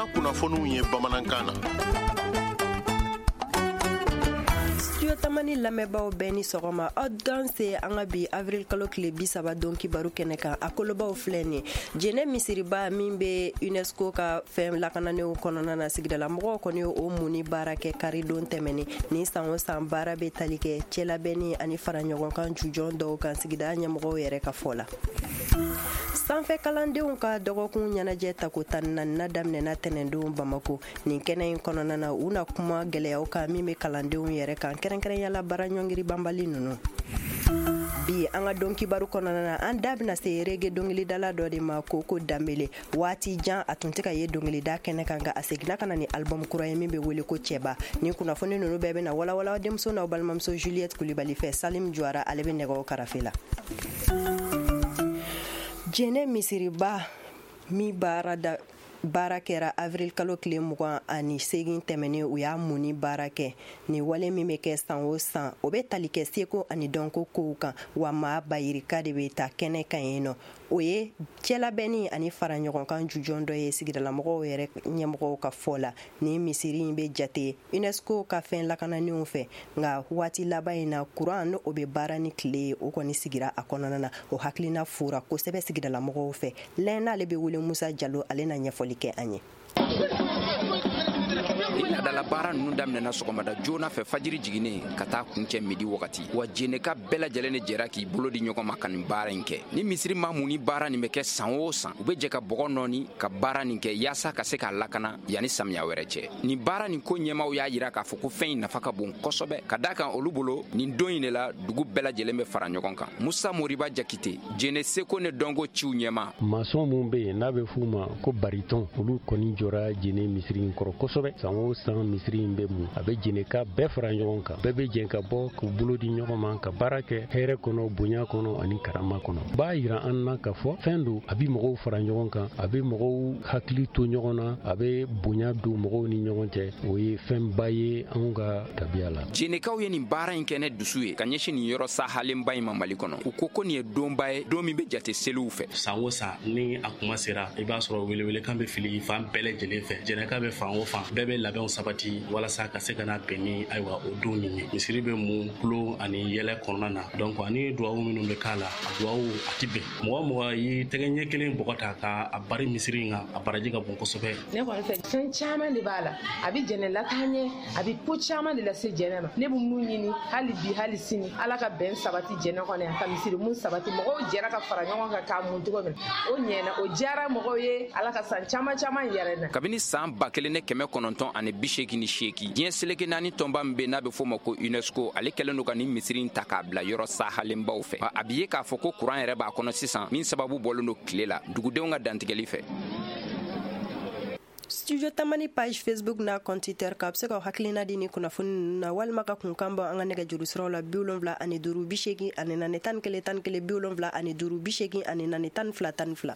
Farafinna kunnafoniw ye bamanankan na. Studio Tamani lamɛnbaaw bɛɛ ni sɔgɔma, aw danse an ka bi avril kalo tile 30 don kibaru kɛnɛ kan. A kolobaw filɛ nin: Jɛnɛ misiriba min bɛ UNESCO ka fɛn lakananenw kɔnɔna na, sigidala mɔgɔw kɔni ye o munni baara kɛ karidon tɛmɛnen. Ni san o san baara bɛ tali kɛ cɛlabɛnni ani fara ɲɔgɔn kan jujɔn dɔw kan, sigida ɲɛmɔgɔw yɛrɛ ka fɔ la. Sanfɛ kalandenw ka dɔgɔkun ɲɛnajɛ tako 14nan daminɛna tɛnɛndon Bamako. Nin kɛnɛ in kɔnɔna na, u na kuma gɛlɛyaw kan min bɛ kalandenw yɛrɛ kan, kɛrɛnkɛrɛnya la baara ɲɔngiri banbali ninnu. Bi an ka don kibaru kɔnɔna na, an da bɛna se reggae dɔnkilidala dɔ de ma, Koko Danbele. Waati jan a tun tɛ ka ye dɔnkilida kɛnɛ kan, nka a seginna ka na ni album kura ye min bɛ wele ko Cɛba. Nin kunnafoni ninnu bɛɛ bɛna walawala denmuso n'aw balimamuso Juliette Kulibali fɛ. Salim Juwara, ale bɛ nɛgɛw karafe la. Jɛnɛ misiriba min baara da baara kɛra avril kalo tile 28 tɛmɛnen, u y'a munni baara kɛ. Nin wale min bɛ kɛ san o san, o bɛ tali kɛ seko ani dɔnko kow kan, wa maa bayirika de bɛ taa kɛnɛ kan yen nɔ. O ye cɛlabɛnni ani fara ɲɔgɔn kan jujɔn dɔ ye, sigidalamɔgɔw yɛrɛ ɲɛmɔgɔw ka fɔ la. Nin misiri in bɛ jate UNESCO ka fɛn lakananenw fɛ, nka waati laban in na, kuran n'o bɛ baara ni tile ye, o kɔni sigira a kɔnɔna na. O hakilina fora kosɛbɛ sigidalamɔgɔw fɛ. Lɛn n'ale bɛ wele Musa Jalo, ale na ɲɛfɔli kɛ an ye. Laadala baara ninnu daminɛna sɔgɔmada joona fɛ, fajiri jiginnen, ka taa kuncɛ midi wagati. Wa jeneka bɛɛ lajɛlen de jɛra k'i bolo di ɲɔgɔn ma ka nin baara in kɛ. Ni misiri ma mun ni baara nin bɛ kɛ san o san, u bɛ jɛ ka bɔgɔ nɔɔni ka baara nin kɛ yaasa ka se k'a lakana yanni samiya wɛrɛ cɛ. Nin baara nin ko ɲɛmaw y'a yira k'a fɔ ko fɛn in nafa ka bon kosɛbɛ, ka da kan olu bolo, nin don in de la dugu bɛɛ lajɛlen bɛ fara ɲɔgɔn kan. Musa Moriba Jakite, Jene seko ni dɔnko ciw ɲɛma. Masɔn minnu bɛ yen n'a bɛ f'u ma ko baritɔn, olu kɔni jɔra Jene misiri in kɔrɔ kosɛbɛ. San o san misiri in bɛ mun, a bɛ Jeneka bɛɛ fara ɲɔgɔn kan, bɛɛ bɛ jɛn ka bɔ k'u bolo di ɲɔgɔn ma ka baara kɛ hɛrɛ kɔnɔ, bonya kɔnɔ ani karama kɔnɔ. B'a yira an na k'a fɔ fɛn don, a bɛ mɔgɔw fara ɲɔgɔn kan, a bɛ mɔgɔw hakili to ɲɔgɔn na, a bɛ bonya don mɔgɔw ni ɲɔgɔn cɛ. O ye fɛnba ye anw ka tabiya la. Jenekaw ye nin baara in kɛ ne dusu ye ka ɲɛsin nin yɔrɔ sahalenba in ma Mali kɔnɔ. U ko ko nin ye donba ye, don min bɛ jate seliw fɛ. San o san ni a kuma sera, i b'a sɔrɔ welewelekan bɛ fili fan bɛɛ lajɛlen fɛ. Jɛnɛka bɛ fan o fan, bɛɛ bɛ labɛnw sabati walasa ka se ka na bɛn ni ayiwa o don nin ye. Misiri bɛ mun kulo ani yɛlɛ kɔnɔna na, donc ani duwawu minnu bɛ k'a la, a duwawu a ti bɛn. Mɔgɔ mɔgɔ y'i tɛgɛ ɲɛ kelen bɔgɔ ta ka a bari misiri in kan, a baraji ka bon kosɛbɛ. Ne kɔni fɛ, fɛn caman de b'a la. A bɛ jɛnɛ lataa ɲɛ, a bɛ ko caman de lase jɛnɛ ma. Ne bɛ mun ɲini hali bi, hali sini, Ala ka bɛn sabati jɛnɛ kɔnɔ yan, ka misiri mun sabati. Mɔgɔw jɛra ka fara ɲɔgɔn kan k'a mun cogo min, o ɲɛna, o diyara mɔgɔw ye. Ala ka san caman caman yɛrɛ na. Kabini san 1988, diɲɛ seleke naani tɔnba min bɛ n'a bɛ f'o ma ko UNESCO, ale kɛlen don ka nin misiri in ta k'a bila yɔrɔ sahalenbaw fɛ. A bɛ ye k'a fɔ ko kuran yɛrɛ b'a kɔnɔ sisan, min sababu bɔlen don tile la dugudenw ka dantigɛli fɛ. Studio Tamani page Facebook n'a compte Twitter kan, a bɛ se ka hakilina di ni kunnafoni ninnu na, walima ka kunkan bɔ an ka nɛgɛjuru siraw la: 75 84 11 11, 75 84 12 12.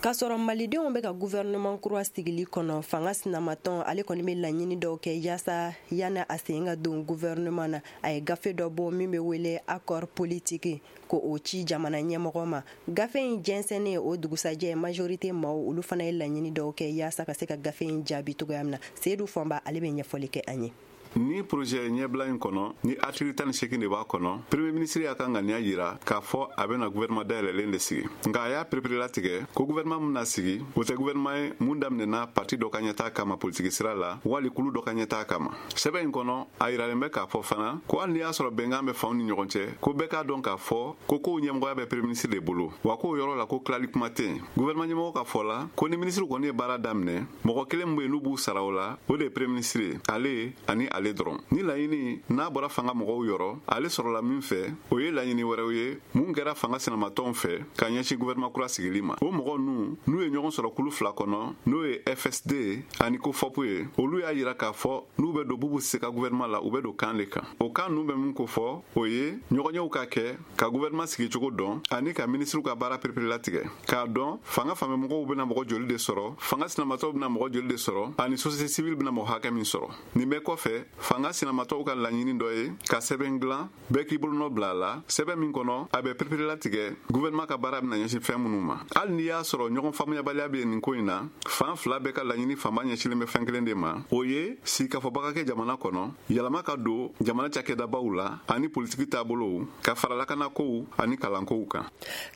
K'a sɔrɔ malidenw bɛ ka gouvernement kura sigili kɔnɔ, fanga sinamatɔn ale kɔni bɛ laɲini dɔw kɛ yaasa yanni a sen ka don gouvernement na. A ye gafe dɔ bɔ min bɛ wele accord politique, ko o ci jamana ɲɛmɔgɔ ma. Gafe in jɛnsɛnnen o dugusajɛ, majorité maaw olu fana ye laɲini dɔw kɛ yaasa ka se ka gafe in jaabi cogoya min na. Seyidu Fɔnba, ale bɛ ɲɛfɔli kɛ an ye. Ni projet ɲɛbila in kɔnɔ, ni article 18 de b'a kɔnɔ, premier ministre y'a ka ŋaniya yira k'a fɔ a bɛna gouvernement dayɛlɛlen de sigi. Nka a y'a pereperelatigɛ ko gouvernement min na sigi, o tɛ gouvernement ye mun daminɛna parti dɔ ka ɲɛtaa kama politiki sira la, wali kulu dɔ ka ɲɛtaa kama. Sɛbɛn in kɔnɔ, a yiralen bɛ k'a fɔ fana ko hali n'i y'a sɔrɔ bɛnkan bɛ fanw ni ɲɔgɔn cɛ, ko bɛɛ k'a dɔn k'a fɔ ko kow ɲɛmɔgɔya bɛ premier ministre de bolo, wa k'o yɔrɔ la ko tilali kuma tɛ yen. Gouvernement ɲɛmɔgɔ ka fɔ la ko ni ministre kɔni ye baara daminɛ, mɔgɔ kelen min bɛ yen n'u b'u sara o la, o de ye premier ministre ye, ale ani ale dɔrɔn. Ni laɲini n'a bɔra fanga mɔgɔw yɔrɔ, ale sɔrɔla min fɛ, o ye laɲini wɛrɛw ye mun kɛra fanga sinamatɔnw fɛ ka ɲɛsin gouvernement kura sigili ma. O mɔgɔ ninnu, n'u ye ɲɔgɔn sɔrɔ kulu fila kɔnɔ, n'o ye FSD ani COFOP ye, olu y'a yira k'a fɔ n'u bɛ don Bubu Sise ka gouvernement la, u bɛ don kan de kan. O kan ninnu bɛ min ko fɔ, o ye ɲɔgɔnyew ka kɛ ka gouvernement sigicogo dɔn ani ka minisiriw ka baara pereperelatigɛ, k'a dɔn fanga fanfɛmɔgɔw bɛna mɔgɔ joli de sɔrɔ, fanga sinamatɔw bɛna mɔgɔ joli de sɔrɔ ani société civile bɛna mɔgɔ hakɛ min sɔrɔ. Nin bɛɛ kɔfɛ, fanga sinamatɔw ka laɲini dɔ ye ka sɛbɛn dilan, bɛɛ k'i bolonɔ bila a la, sɛbɛn min kɔnɔ a bɛ pereperelatigɛ gouvernement ka baara bɛna ɲɛsin fɛn minnu ma. Hali n'i y'a sɔrɔ ɲɔgɔn faamuyabaliya bɛ nin ko in na, fan fila bɛɛ ka laɲini fanba ɲɛsilen bɛ fɛn kelen de ma, o ye sigikafɔba ka kɛ jamana kɔnɔ, yɛlɛma ka don jamana cakɛdabaw la ani politiki taabolow, ka fara lakanakow ani kalankow kan.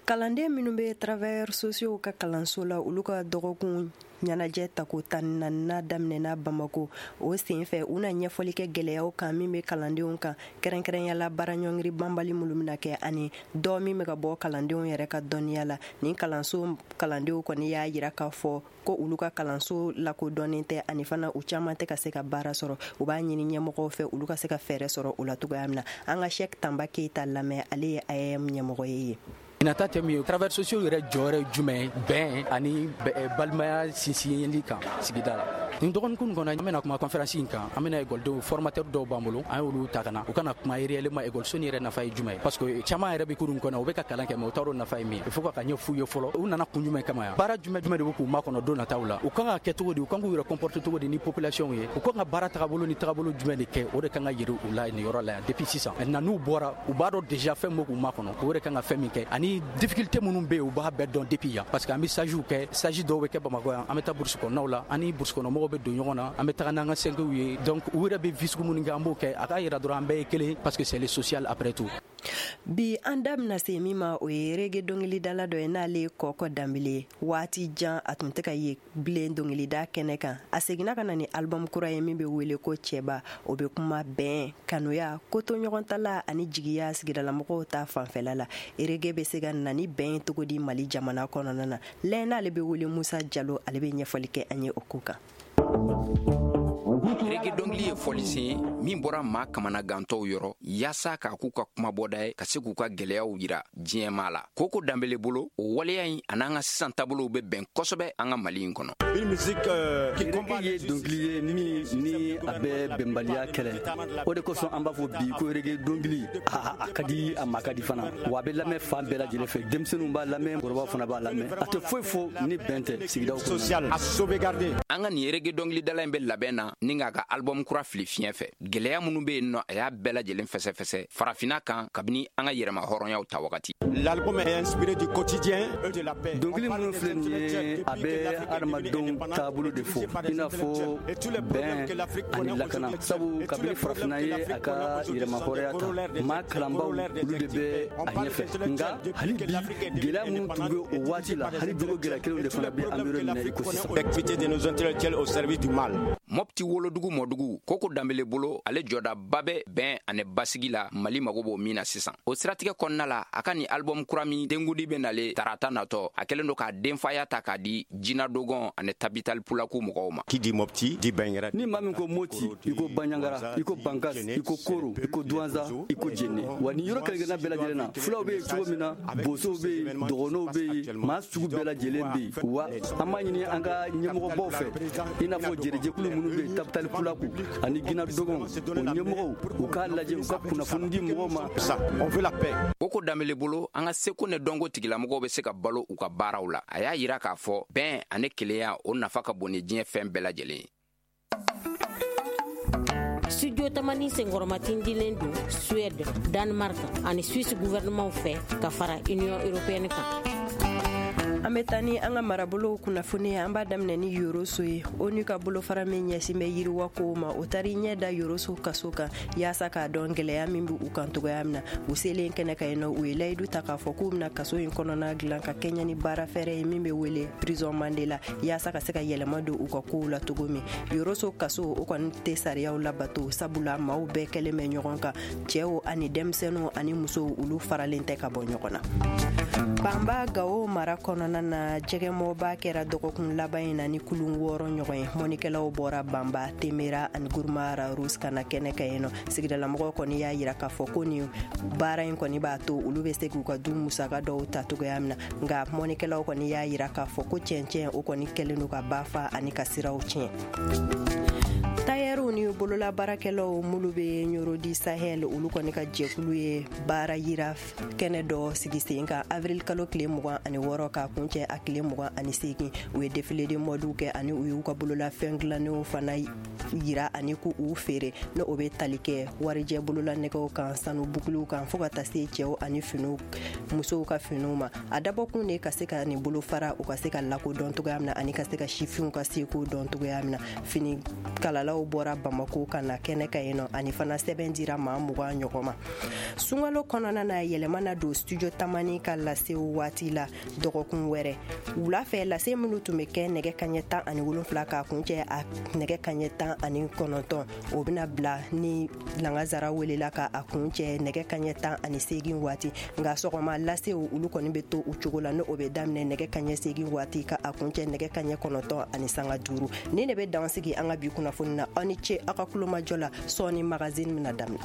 Kalanden minnu bɛ travailleurs sociaux ka kalanso la, olu ka dɔgɔkun ɲɛnajɛ tako 14nan daminɛna Bamako. O senfɛ, u na ɲɛfɔli kɛ gɛlɛyaw kan min bɛ kalandenw kan, kɛrɛnkɛrɛnya baara ɲɔngiri banbali minnu bɛna kɛ ani dɔ min bɛ ka bɔ kalandenw yɛrɛ ka dɔnniya la. Nin kalanso kalandenw kɔni y'a jira k'a fɔ ko olu ka kalanso lakodɔnnen tɛ, ani fana u caman tɛ ka se ka baara sɔrɔ. U b'a ɲini ɲɛmɔgɔw fɛ olu ka se ka fɛɛrɛ sɔrɔ o la cogoya min na. An ka Cheick Tamba Keyita lamɛn, ale ye AEEM ɲɛmɔgɔ ye. Nata tɛ min ye, travailleurs sociaux yɛrɛ jɔyɔrɔ ye jumɛn ye bɛn ani balimaya sinsinli kan sigida la? Nin dɔgɔkun kɔnɔ, an bɛna kuma conférence in kan. An bɛna ekɔlidenw formateur dɔw b'an bolo, an y'olu ta ka na, u kana kuma réellement ekɔliso nin yɛrɛ nafa ye jumɛn ye, parce que caman yɛrɛ bɛ kurun kɔnɔ, u bɛ ka kalan kɛ, mais u t'a dɔn nafa ye min ye. Il faut ka ɲɛ f'u ye fɔlɔ, u nana kun jumɛn kama yan, baara jumɛn jumɛn de bɛ k'u makɔnɔ don nataw la, u kan ka kɛ cogo di, u kan k'u yɛrɛ comporter cogo di ni population ye, u kan ka baara tagabolo ni tagabolo jumɛn de kɛ. O de kan ka yiri u la nin yɔrɔ la yan depuis sisan. Maintenant, n'u bɔra, u b'a dɔn déjà fɛn min bɛ k'u makɔnɔ, u yɛrɛ kan ka fɛn min kɛ ani difficulté minnu bɛ yen, u b'a bɛɛ dɔn depuis yan, parce que an bɛ stage kɛ. Stage dɔw bɛ kɛ Bamakɔ yan, an bɛ taa brousse kɔnɔnaw la, ani brousse kɔnɔ mɔgɔw bɛ don ɲɔgɔn na, an bɛ taga n'an ka sɛnkew ye. Donc u yɛrɛ bɛ vie sugu minnu kɛ, an b'o kɛ, a k'a yira dɔrɔn an bɛɛ ye kelen, parce que c'est le social après tout. Bi, an da bɛna se min ma, o ye reggae dɔnkilidala dɔ ye, n'ale ye Kɔkɔ Danbele ye. Waati jan a tun tɛ ka ye bilen dɔnkilida kɛnɛ kan. A seginna ka na ni album kura ye min bɛ wele ko Cɛba. O bɛ kuma bɛn, kanuya, kotoɲɔgɔntala ani jigiya sigidalamɔgɔw ta fanfɛla la. Reggae bɛ se ka na ni bɛn cogo di Mali jamana kɔnɔna na? Lɛn n'ale bɛ wele Musa Jalo, ale bɛ ɲɛfɔli kɛ an ye o ko kan. Reggae dɔnkili ye fɔlisen ye min bɔra maa kamanagantɔw yɔrɔ yaasa k'a k'u ka kumabɔda ye, ka se k'u ka gwɛlɛyaw yira diɲɛmaa la. Koko Danbele bolo, o waleya in an'an ka sisan taabolow bɛ bɛn kosɛbɛ an ka Mali in kɔnɔ. Reggae ye dɔnkili ye ni a bɛ bɛnbaliya kɛlɛ. O de kosɔn an b'a fɔ bi ko reggae dɔnkili a ka di, a ma ka di fana, wa a bɛ lamɛn fan bɛɛ lajɛlen fɛ. Denmisɛnninw b'a lamɛn, kɔrɔbaw fana b'a lamɛn. A tɛ foyi fɔ ni bɛn tɛ sigidaw kɔnɔ. An ka nin reggae dɔnkilidala in bɛ labɛn na ni k'a ka album kura fili fiɲɛ fɛ. Gwɛlɛya minnu bɛ yen nɔ, a y'a bɛɛ lajɛlen fɛsɛfɛsɛ farafinna kan kabini an ka yɛrɛma hɔrɔnyaw ta wagati. L'album est inspiré du quotidien et de la paix. Dɔnkili minnu filɛ nin ye, a bɛ adamadenw taabolo de fɔ, i n'a fɔ bɛn ani lakana, sabu kabini farafinna ye a ka yɛrɛma hɔrɔnya ta, maa kalanbaw olu de bɛ a ɲɛfɛ. Nka hali bi, gɛlɛya minnu tun bɛ o waati la, hali bi o gɛlɛya kelenw de fana bɛ an bɛ yɔrɔ min na i ko sisan. L'activité de nos intellectuels au service du mal. Mɔpti wolodugu mɔdugu, Koko Danbele bolo, ale jɔdaba bɛ bɛn ani basigi la Mali mago b'o min na sisan. O siratigɛ kɔnɔna la, a ka nin album kura min dengudi bɛ nale tarata natɔ, a kɛlen don k'a denfaya ta k'a di Jina Dogon ani Tabital Pulaku mɔgɔw ma. Qui dit Mopti dit Bandiagara. Ni maa min ko Moti, i ko Bandiagara, i ko Bankas, i ko Koro, i ko Duwanza, i ko Jene. Wa nin yɔrɔ kelen-kelenna bɛɛ lajɛlen na, fulaw bɛ yen cogo min na, bosow bɛ yen, dɔgɔnɔw bɛ yen, maa sugu bɛɛ lajɛlen bɛ yen. Wa an b'a ɲini an ka ɲɛmɔgɔbaw fɛ, i n'a fɔ jɛrɛjɛkulu minnu bɛ yen, Tabital Pulaku ani Gina Dogon, o ɲɛmɔgɔw, u k'a lajɛ u ka kunnafoni di mɔgɔw ma. On veut la paix. Koko Danbele bolo, an ka seko ni dɔnko tigilamɔgɔw bɛ se ka balo u ka baaraw la. A y'a yira k'a fɔ bɛn ani kelenya, o nafa ka bon ni diɲɛ fɛn bɛɛ lajɛlen ye. Studio Tamani senkɔrɔmatindilen don Suède, Danemark ani Suisse gouvernement fɛ ka fara Union européenne kan. An bɛ taa ni an ka marabolow kunnafoni ye. An b'a daminɛ ni Yoroso ye. ONU ka bolofara min ɲɛsin bɛ yiriwa kow ma, o taara ɲɛ da Yoroso kaso kan yaasa k'a dɔn gɛlɛya min bɛ u kan cogoya min na. U selen kɛnɛ kan yen nɔ, u ye layidu ta k'a fɔ k'u bɛna kaso in kɔnɔna dilan ka kɛɲɛ ni baara fɛɛrɛ ye min bɛ wele Prison Mandela, yaasa ka se ka yɛlɛma don u ka kow la cogo min. Yoroso kaso, o kɔni tɛ sariyaw labato, sabula maaw bɛɛ kɛlen bɛ ɲɔgɔn kan, cɛw ani denmisɛnninw ani musow, olu faralen tɛ ka bɔ ɲɔgɔn na. Banba Gawo mara kɔnɔna na, jɛgɛmɔba kɛra dɔgɔkun laban in na ni kulun 6 ɲɔgɔn ye. Mɔnikɛlaw bɔra Banba, Temera ani Guruma Rarus ka na kɛnɛ kan yen nɔ. Sigidalamɔgɔw kɔni y'a yira k'a fɔ ko nin baara in kɔni b'a to olu bɛ se k'u ka du musaka dɔw ta cogoya min na. Nka mɔnikɛlaw kɔni y'a yira k'a fɔ ko cɛncɛn o kɔni kɛlen don ka ba fa ani ka siraw tiɲɛ. Tayɛriw ni bolo Bolola baarakɛlaw minnu bɛ Ɲɔrɔ du Sahel, olu kɔni ka jɛkulu ye baara yira kɛnɛ dɔ sigi sen kan avril kalo tile 26 k'a kuncɛ a tile 28. U ye défilé de modew kɛ ani u y'u ka bololafɛn dilannenw fana yira ani k'u feere, ni o bɛ tali kɛ warijɛ bololanɛgɛw kan, sanu bukuliw kan, fo ka taa se cɛw ani finiw, musow ka finiw ma. A dabɔkun de ka se ka nin bolofara u ka se ka lakodɔn cogoya min na ani ka se ka sifinw ka seko dɔn cogoya min na. Fini kalalaw bɔra Bamako ka na kɛnɛ kan yen nɔ, ani fana sɛbɛn dira maa 20 ɲɔgɔn ma. Sunkalo kɔnɔna na, yɛlɛma na don Studio Tamani ka lasew waati la dɔgɔkun wɛrɛ wula fɛ. Lase minnu tun bɛ kɛ nɛgɛ kaɲɛ 17 k'a kuncɛ a nɛgɛ kaɲɛ 19, o bɛna bila ni langazara welela ka a kuncɛ nɛgɛ kaɲɛ 18 waati. Nka sɔgɔma lasew, olu kɔni bɛ to u cogo la, ni o bɛ daminɛ nɛgɛ kaɲɛ 8 waati ka a kuncɛ nɛgɛ kaɲɛ 9:05. Ni de bɛ dan sigi an ka bi kunnafoni na. Aw ni ce aw ka kulomajɔ la. Sɔɔni, magazine bɛna daminɛ.